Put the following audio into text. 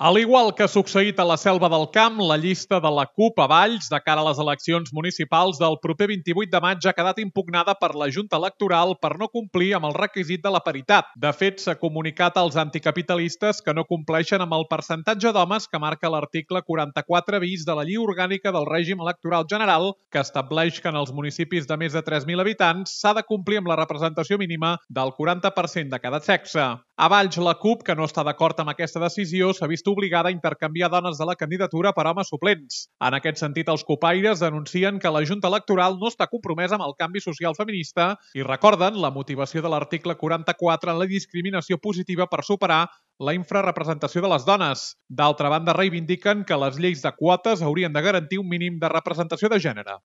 Al igual que ha succeït a la Selva del Camp, la llista de la CUP a Valls de cara a les eleccions municipals del proper 28 de maig ha quedat impugnada per la Junta Electoral per no complir amb el requisit de la paritat. De fet, s'ha comunicat als anticapitalistes que no compleixen amb el percentatge d'homes que marca l'article 44 bis de la Llei Orgànica del Règim Electoral General, que estableix que en els municipis de més de 3.000 habitants s'ha de complir amb la representació mínima del 40% de cada sexe. A Valls, la CUP, que no està d'acord amb aquesta decisió, s'ha vist obligada a intercanviar dones de la candidatura per homes suplents. En aquest sentit, els cupaires denuncien que la Junta Electoral no està compromesa amb el canvi social feminista i recorden la motivació de l'article 44 en la discriminació positiva per superar la infrarrepresentació de les dones. D'altra banda, reivindiquen que les lleis de quotes haurien de garantir un mínim de representació de gènere.